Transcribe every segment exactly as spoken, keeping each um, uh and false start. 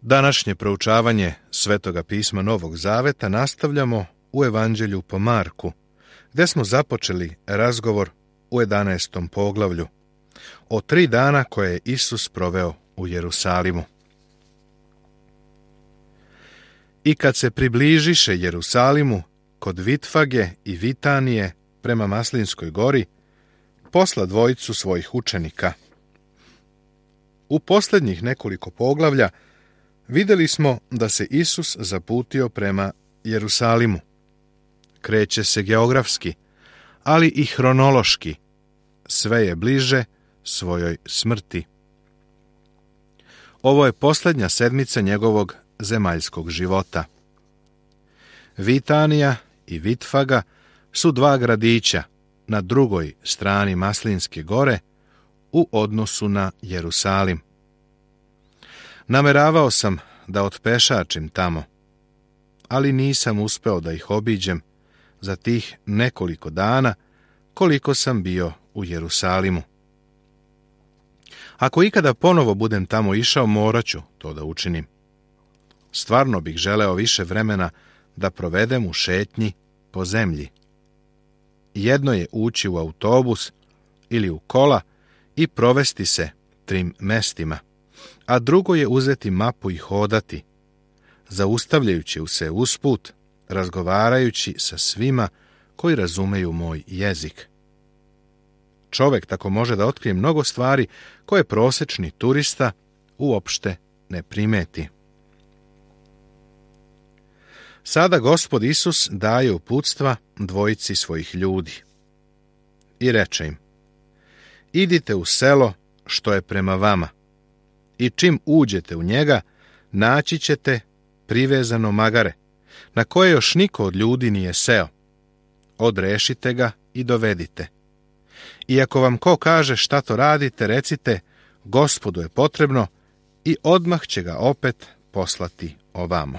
Današnje proučavanje Svetoga pisma Novog Zaveta nastavljamo u Evanđelju po Marku, gdje smo započeli razgovor u jedanaestom poglavlju o tri dana koje je Isus proveo u Jerusalimu. I kad se približiše Jerusalimu kod Vitfage i Vitanije prema Maslinskoj gori, posla dvojicu svojih učenika. U posljednjih nekoliko poglavlja vidjeli smo da se Isus zaputio prema Jerusalimu. Kreće se geografski, ali i hronološki. Sve je bliže svojoj smrti. Ovo je posljednja sedmica njegovog zemaljskog života. Vitanija i Vitfaga su dva gradića na drugoj strani Maslinske gore u odnosu na Jerusalim. Nameravao sam da otpešačim tamo, ali nisam uspeo da ih obiđem za tih nekoliko dana koliko sam bio u Jerusalimu. Ako ikada ponovo budem tamo išao, morat ću to da učinim. Stvarno bih želeo više vremena da provedem u šetnji po zemlji. Jedno je ući u autobus ili u kola i provesti se trim mestima, a drugo je uzeti mapu i hodati, zaustavljajući se usput, razgovarajući sa svima koji razumeju moj jezik. Čovjek tako može da otkrije mnogo stvari koje prosječni turista uopšte ne primeti. Sada Gospod Isus daje uputstva dvojici svojih ljudi i reče im: idite u selo što je prema vama i čim uđete u njega, naći ćete privezano magare, na koje još niko od ljudi nije seo. Odrešite ga i dovedite. I ako vam ko kaže šta to radite, recite: Gospodu je potrebno, i odmah će ga opet poslati ovamo.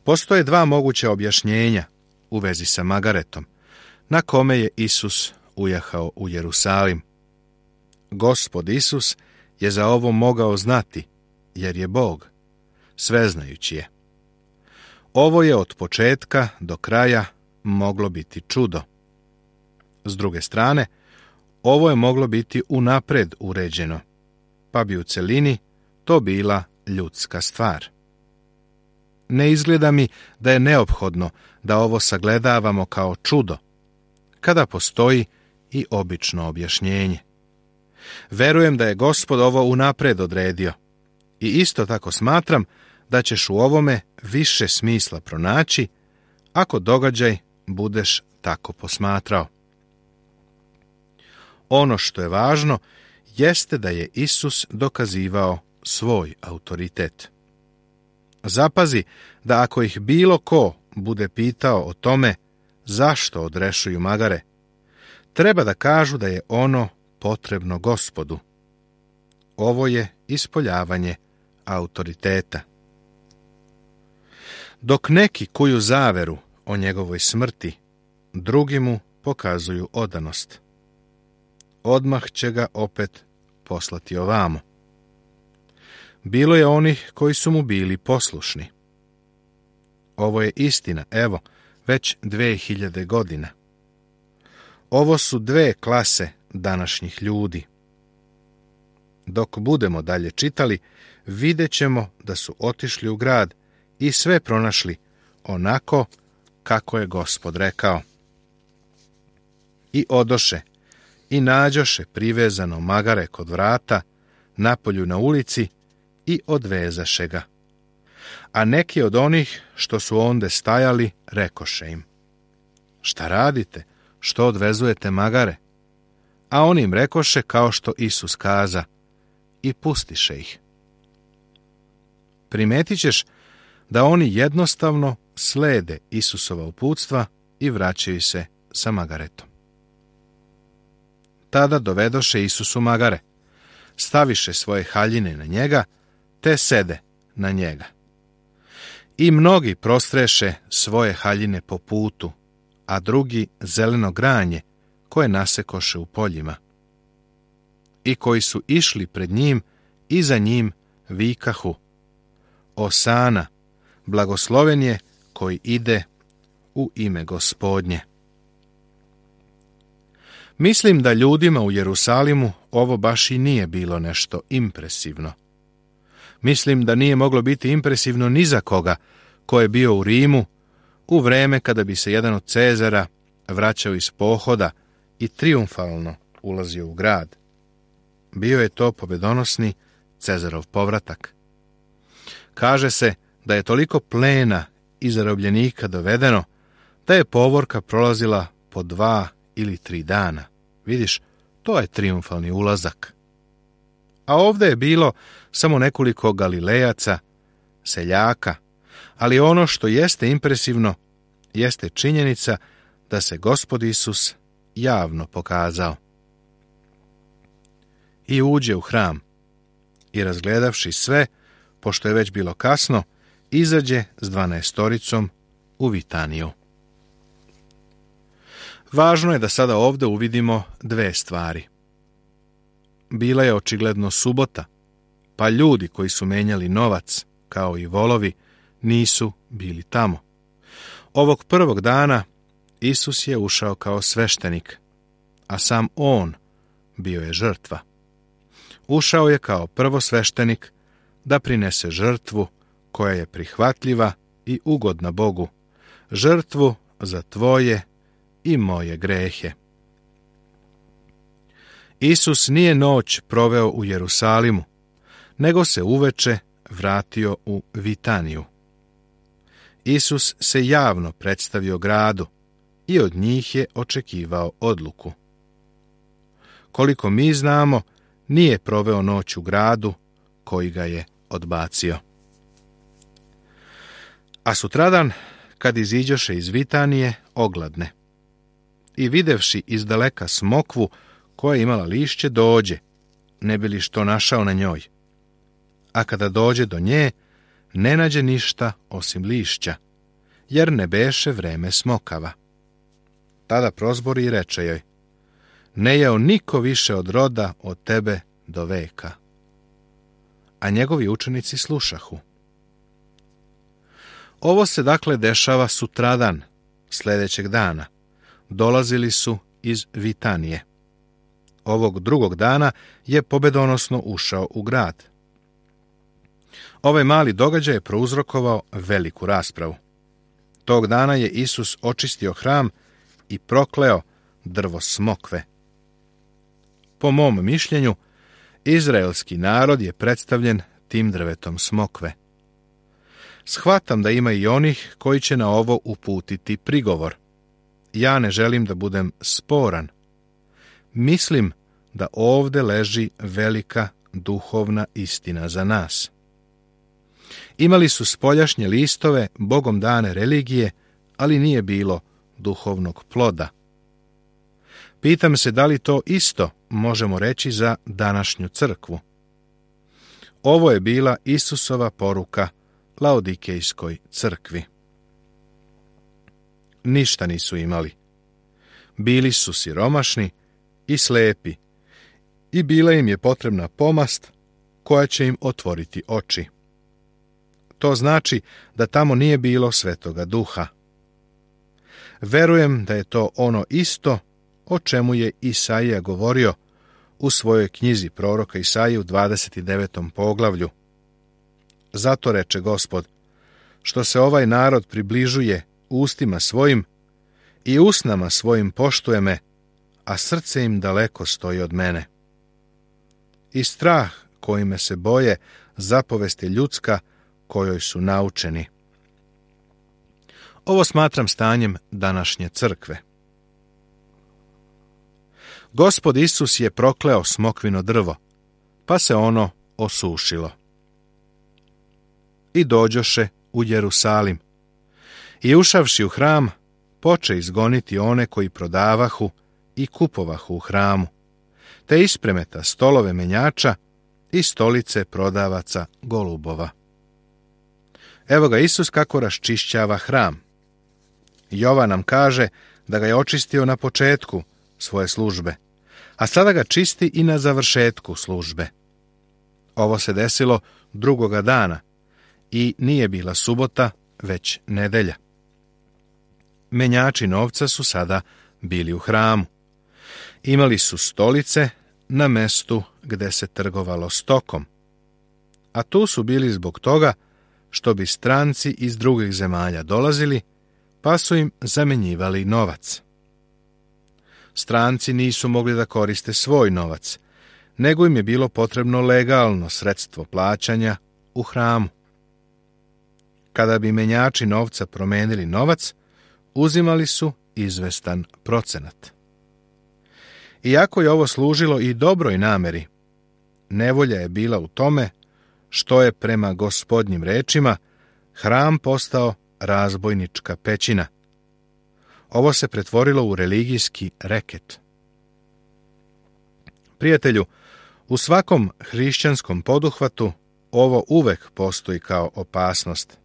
Postoje dva moguća objašnjenja u vezi sa magaretom, na kome je Isus ujahao u Jerusalim. Gospod Isus je za ovo mogao znati, jer je Bog, sveznajući je. Ovo je od početka do kraja moglo biti čudo. S druge strane, ovo je moglo biti unapred uređeno, pa bi u celini to bila ljudska stvar. Ne izgleda mi da je neophodno da ovo sagledavamo kao čudo, kada postoji i obično objašnjenje. Verujem da je Gospod ovo unapred odredio i isto tako smatram da ćeš u ovome više smisla pronaći ako događaj budeš tako posmatrao. Ono što je važno jeste da je Isus dokazivao svoj autoritet. Zapazi da ako ih bilo ko bude pitao o tome zašto odrešuju magare, treba da kažu da je ono potrebno Gospodu. Ovo je ispoljavanje autoriteta. Dok neki kuju zaveru o njegovoj smrti, drugi mu pokazuju odanost. Odmah će ga opet poslati ovamo. Bilo je onih koji su mu bili poslušni. Ovo je istina, evo, već dve hiljade godina. Ovo su dve klase današnjih ljudi. Dok budemo dalje čitali, vidjet ćemo da su otišli u grad i sve pronašli onako kako je Gospod rekao. I odoše i nađoše privezano magare kod vrata, napolju na ulici, i odvezaše ga. A neki od onih što su onde stajali rekoše im: šta radite, što odvezujete magare? A oni im rekoše kao što Isus kaza, i pustiše ih. Primetit ćeš da oni jednostavno slede Isusova uputstva i vraćaju se sa magaretom. Tada dovedoše Isusu magare, staviše svoje haljine na njega, te sede na njega. I mnogi prostreše svoje haljine po putu, a drugi zeleno granje koje nasekoše u poljima. I koji su išli pred njim i za njim vikahu: Osana, blagosloven je koji ide u ime Gospodnje. Mislim da ljudima u Jerusalimu ovo baš i nije bilo nešto impresivno. Mislim da nije moglo biti impresivno ni za koga ko je bio u Rimu u vreme kada bi se jedan od Cezara vraćao iz pohoda i trijumfalno ulazio u grad. Bio je to pobedonosni Cezarov povratak. Kaže se da je toliko plena i zarobljenika dovedeno da je povorka prolazila po dva ili tri dana. Vidiš, to je trijumfalni ulazak. A ovdje je bilo samo nekoliko Galilejaca, seljaka, ali ono što jeste impresivno jeste činjenica da se Gospod Isus javno pokazao. I uđe u hram i razgledavši sve, pošto je već bilo kasno, izađe s dvanaestoricom u Vitaniju. Važno je da sada ovdje uvidimo dve stvari. Bila je očigledno subota, pa ljudi koji su menjali novac, kao i volovi, nisu bili tamo. Ovog prvog dana Isus je ušao kao sveštenik, a sam on bio je žrtva. Ušao je kao prvosveštenik da prinese žrtvu koja je prihvatljiva i ugodna Bogu, žrtvu za tvoje i moje grehe. Isus nije noć proveo u Jerusalimu, nego se uveče vratio u Vitaniju. Isus se javno predstavio gradu i od njih je očekivao odluku. Koliko mi znamo, nije proveo noć u gradu koji ga je odbacio. A sutradan, kad iziđoše iz Vitanije, ogladne. I videvši izdaleka smokvu koja je imala lišće, dođe, ne bi li što našao na njoj. A kada dođe do nje, ne nađe ništa osim lišća, jer ne beše vreme smokava. Tada prozbori i reče joj: ne jeo niko više od roda od tebe do veka. A njegovi učenici slušahu. Ovo se dakle dešava sutradan, sljedećeg dana. Dolazili su iz Vitanije. Ovog drugog dana je pobedonosno ušao u grad. Ovaj mali događaj je prouzrokovao veliku raspravu. Tog dana je Isus očistio hram i prokleo drvo smokve. Po mom mišljenju, izraelski narod je predstavljen tim drvetom smokve. Shvatam da ima i onih koji će na ovo uputiti prigovor. Ja ne želim da budem sporan. Mislim da ovdje leži velika duhovna istina za nas. Imali su spoljašnje listove, Bogom dane religije, ali nije bilo duhovnog ploda. Pitam se da li to isto možemo reći za današnju crkvu. Ovo je bila Isusova poruka Laodikejskoj crkvi. Ništa nisu imali. Bili su siromašni i slepi i bila im je potrebna pomast koja će im otvoriti oči. To znači da tamo nije bilo Svetoga Duha. Verujem da je to ono isto o čemu je Isaija govorio u svojoj knjizi proroka Isaije u dvadeset devetom poglavlju. Zato reče Gospod, što se ovaj narod približuje ustima svojim i usnama svojim poštuje me, a srce im daleko stoji od mene. I strah kojime se boje zapovest je ljudska kojoj su naučeni. Ovo smatram stanjem današnje crkve. Gospod Isus je prokleo smokvino drvo, pa se ono osušilo. I dođoše u Jerusalim. I ušavši u hram, poče izgoniti one koji prodavahu i kupovahu u hramu, te ispremeta stolove menjača i stolice prodavaca golubova. Evo ga Isus kako raščišćava hram. Jovan nam kaže da ga je očistio na početku svoje službe, a sada ga čisti i na završetku službe. Ovo se desilo drugoga dana i nije bila subota, već nedelja. Menjači novca su sada bili u hramu. Imali su stolice na mestu gde se trgovalo stokom, a tu su bili zbog toga što bi stranci iz drugih zemalja dolazili, pa su im zamenjivali novac. Stranci nisu mogli da koriste svoj novac, nego im je bilo potrebno legalno sredstvo plaćanja u hramu. Kada bi menjači novca promenili novac, uzimali su izvestan procenat. Iako je ovo služilo i dobroj nameri, nevolja je bila u tome što je prema Gospodnjim rečima hram postao razbojnička pećina. Ovo se pretvorilo u religijski reket. Prijatelju, u svakom hrišćanskom poduhvatu ovo uvek postoji kao opasnost.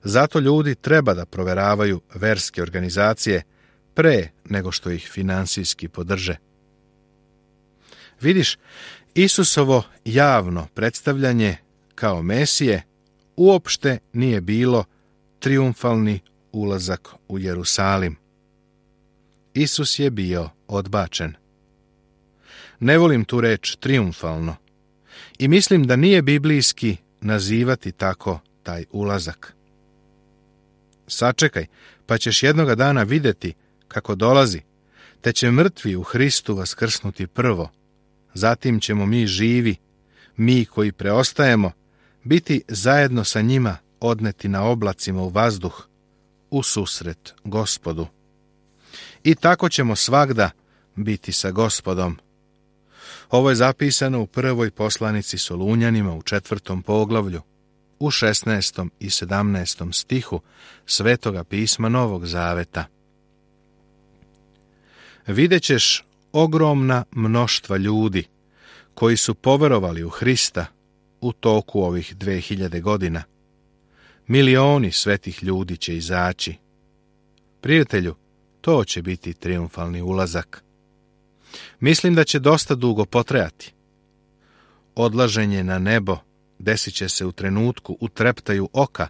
Zato ljudi treba da proveravaju verske organizacije pre nego što ih finansijski podrže. Vidiš, Isusovo javno predstavljanje kao Mesije uopšte nije bilo trijumfalni ulazak u Jerusalim. Isus je bio odbačen. Ne volim tu reč trijumfalno i mislim da nije biblijski nazivati tako taj ulazak. Sačekaj, pa ćeš jednoga dana vidjeti kako dolazi, te će mrtvi u Hristu vaskrsnuti prvo. Zatim ćemo mi živi, mi koji preostajemo, biti zajedno sa njima odneti na oblacima u vazduh, u susret Gospodu. I tako ćemo svagda biti sa Gospodom. Ovo je zapisano u prvoj poslanici Solunjanima u četvrtom poglavlju, u šesnaestom i sedamnaestom stihu Svetoga pisma Novog Zaveta. Vidjet ćeš ogromna mnoštva ljudi koji su poverovali u Hrista u toku ovih dve hiljade godina. Milioni svetih ljudi će izaći. Prijatelju, to će biti trijumfalni ulazak. Mislim da će dosta dugo potrajati. Odlaženje na nebo desit će se u trenutku u treptaju oka,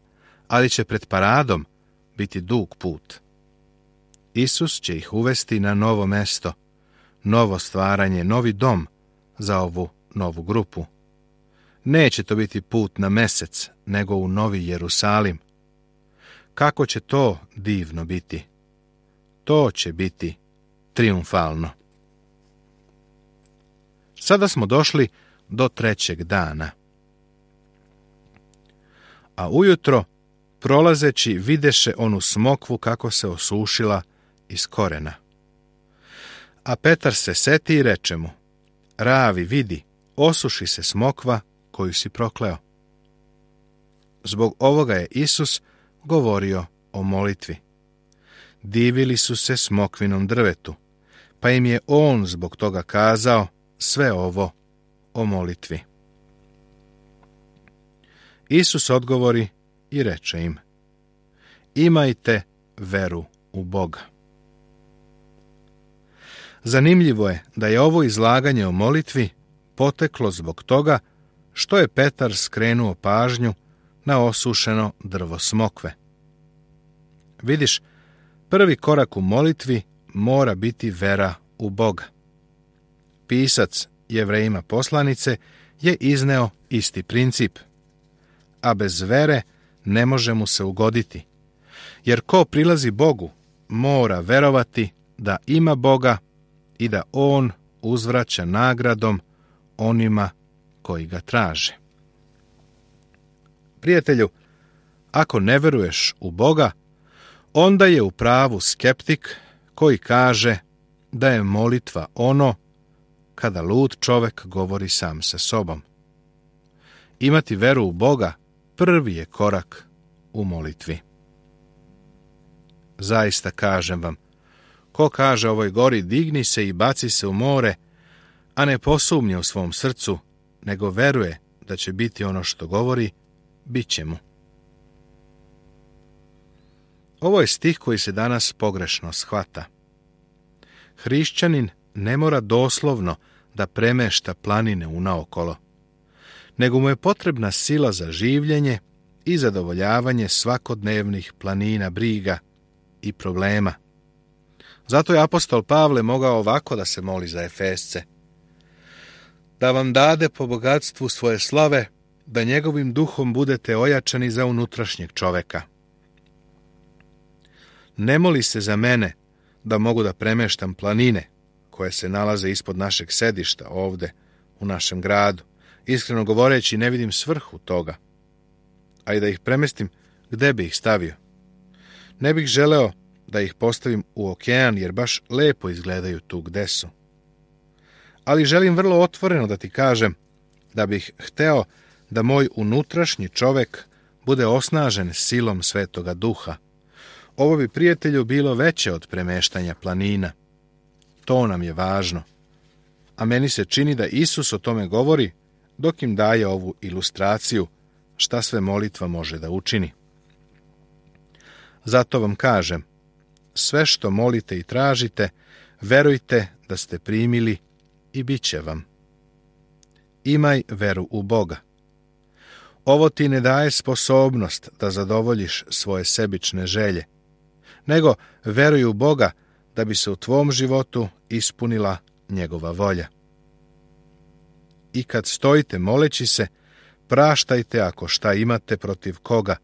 ali će pred paradom biti dug put. Isus će ih uvesti na novo mesto, novo stvaranje, novi dom za ovu novu grupu. Neće to biti put na mesec, nego u Novi Jerusalim. Kako će to divno biti? To će biti trijumfalno. Sada smo došli do trećeg dana. A ujutro, prolazeći, videše onu smokvu kako se osušila iz korena. A Petar se seti i reče mu: Ravi, vidi, osuši se smokva koju si prokleo. Zbog ovoga je Isus govorio o molitvi. Divili su se smokvinom drvetu, pa im je on zbog toga kazao sve ovo o molitvi. Isus odgovori i reče im: Imajte veru u Boga. Zanimljivo je da je ovo izlaganje o molitvi poteklo zbog toga što je Petar skrenuo pažnju na osušeno drvo smokve. Vidiš, prvi korak u molitvi mora biti vera u Boga. Pisac Jevrejima poslanice je izneo isti princip, a bez vere ne može mu se ugoditi, jer ko prilazi Bogu mora verovati da ima Boga i da on uzvraća nagradom onima koji ga traže. Prijatelju, ako ne veruješ u Boga, onda je u pravu skeptik koji kaže da je molitva ono kada lud čovek govori sam sa sobom. Imati veru u Boga prvi je korak u molitvi. Zaista kažem vam, ko kaže ovoj gori digni se i baci se u more, a ne posumnje u svom srcu, nego veruje da će biti ono što govori, bit će mu. Ovo je stih koji se danas pogrešno shvata. Hrišćanin ne mora doslovno da premešta planine unaokolo, nego mu je potrebna sila za življenje i zadovoljavanje svakodnevnih planina briga i problema. Zato je apostol Pavle mogao ovako da se moli za Efesce: da vam dade po bogatstvu svoje slave, da njegovim duhom budete ojačani za unutrašnjeg čoveka. Ne moli se za mene da mogu da premeštam planine koje se nalaze ispod našeg sedišta ovde u našem gradu. Iskreno govoreći, ne vidim svrhu toga. A i da ih premestim, gde bi ih stavio? Ne bih želeo da ih postavim u okean, jer baš lepo izgledaju tu gde su. Ali želim vrlo otvoreno da ti kažem da bih hteo da moj unutrašnji čovek bude osnažen silom Svetoga Duha. Ovo bi, prijatelju, bilo veće od premeštanja planina. To nam je važno. A meni se čini da Isus o tome govori dok im daje ovu ilustraciju šta sve molitva može da učini. Zato vam kažem, sve što molite i tražite, verujte da ste primili i bit će vam. Imaj veru u Boga. Ovo ti ne daje sposobnost da zadovoljiš svoje sebične želje, nego veruj u Boga da bi se u tvom životu ispunila njegova volja. I kad stojite moleći se, praštajte ako šta imate protiv koga,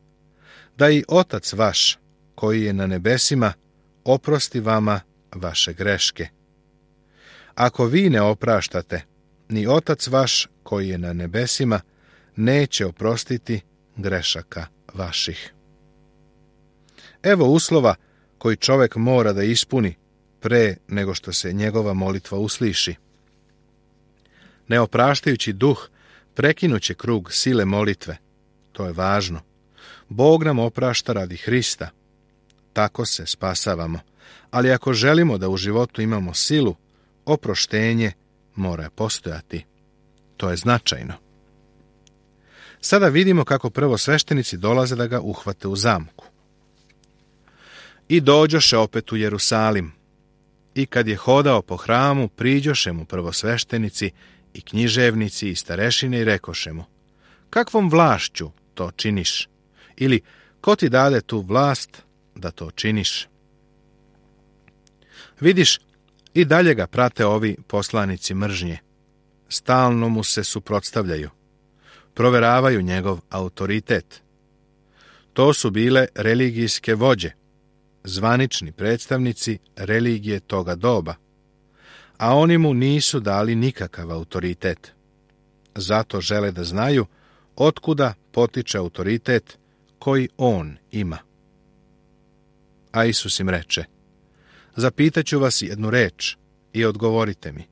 da i Otac vaš, koji je na nebesima, oprosti vama vaše greške. Ako vi ne opraštate, ni Otac vaš, koji je na nebesima, neće oprostiti grešaka vaših. Evo uslova koji čovek mora da ispuni pre nego što se njegova molitva usliši. Neopraštajući duh prekinuće krug sile molitve. To je važno. Bog nam oprašta radi Hrista. Tako se spasavamo. Ali ako želimo da u životu imamo silu, oproštenje mora postojati. To je značajno. Sada vidimo kako prvosveštenici dolaze da ga uhvate u zamku. I dođoše opet u Jerusalim. I kad je hodao po hramu, priđoše mu prvosveštenici i književnici i starešine i rekoše mu: kakvom vlašću to činiš? Ili ko ti dade tu vlast da to činiš? Vidiš, i dalje ga prate ovi poslanici mržnje. Stalno mu se suprotstavljaju. Proveravaju njegov autoritet. To su bile religijske vođe, zvanični predstavnici religije toga doba, a oni mu nisu dali nikakav autoritet. Zato žele da znaju otkuda potiče autoritet koji on ima. A Isus im reče: zapitaću vas jednu reč i odgovorite mi,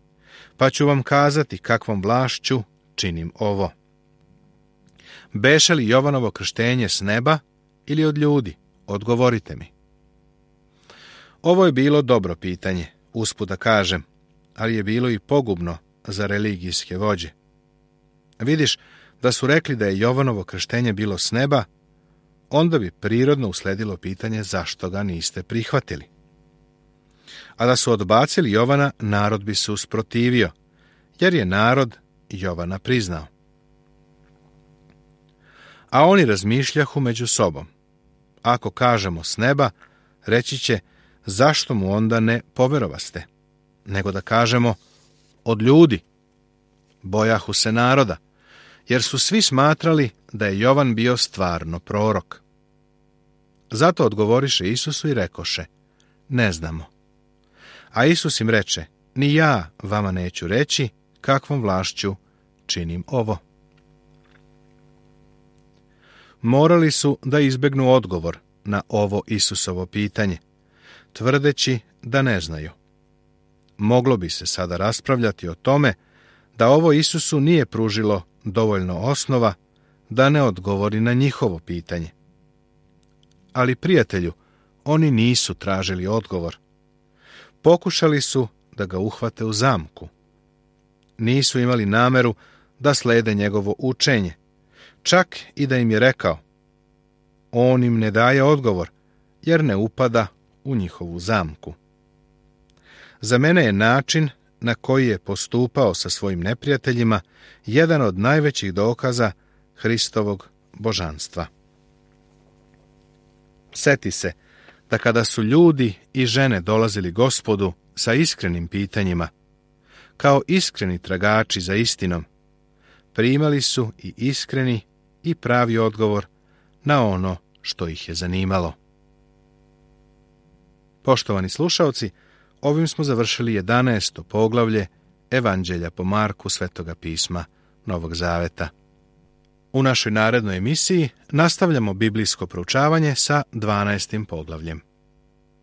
pa ću vam kazati kakvom vlašću činim ovo. Beše li Jovanovo krštenje s neba ili od ljudi? Odgovorite mi. Ovo je bilo dobro pitanje, usput da kažem, ali je bilo i pogubno za religijske vođe. Vidiš, da su rekli da je Jovanovo krštenje bilo s neba, onda bi prirodno usledilo pitanje zašto ga niste prihvatili. A da su odbacili Jovana, narod bi se usprotivio, jer je narod Jovana priznao. A oni razmišljahu među sobom. Ako kažemo s neba, reći će: zašto mu onda ne poverovaste? Nego da kažemo: od ljudi. Bojahu se naroda, jer su svi smatrali da je Jovan bio stvarno prorok. Zato odgovoriše Isusu i rekoše: ne znamo. A Isus im reče: ni ja vama neću reći kakvom vlašću činim ovo. Morali su da izbegnu odgovor na ovo Isusovo pitanje, tvrdeći da ne znaju. Moglo bi se sada raspravljati o tome da ovo Isusu nije pružilo dovoljno osnova da ne odgovori na njihovo pitanje. Ali, prijatelju, oni nisu tražili odgovor. Pokušali su da ga uhvate u zamku. Nisu imali nameru da slede njegovo učenje, čak i da im je rekao. On im ne daje odgovor, jer ne upada u njihovu zamku. Za mene je način na koji je postupao sa svojim neprijateljima jedan od najvećih dokaza Hristovog božanstva. Seti se da kada su ljudi i žene dolazili Gospodu sa iskrenim pitanjima, kao iskreni tragači za istinom, primali su i iskreni i pravi odgovor na ono što ih je zanimalo. Poštovani slušaoci, ovim smo završili jedanaesto poglavlje Evanđelja po Marku Svetoga pisma Novog Zaveta. U našoj narednoj emisiji nastavljamo biblijsko proučavanje sa dvanaestim poglavljem.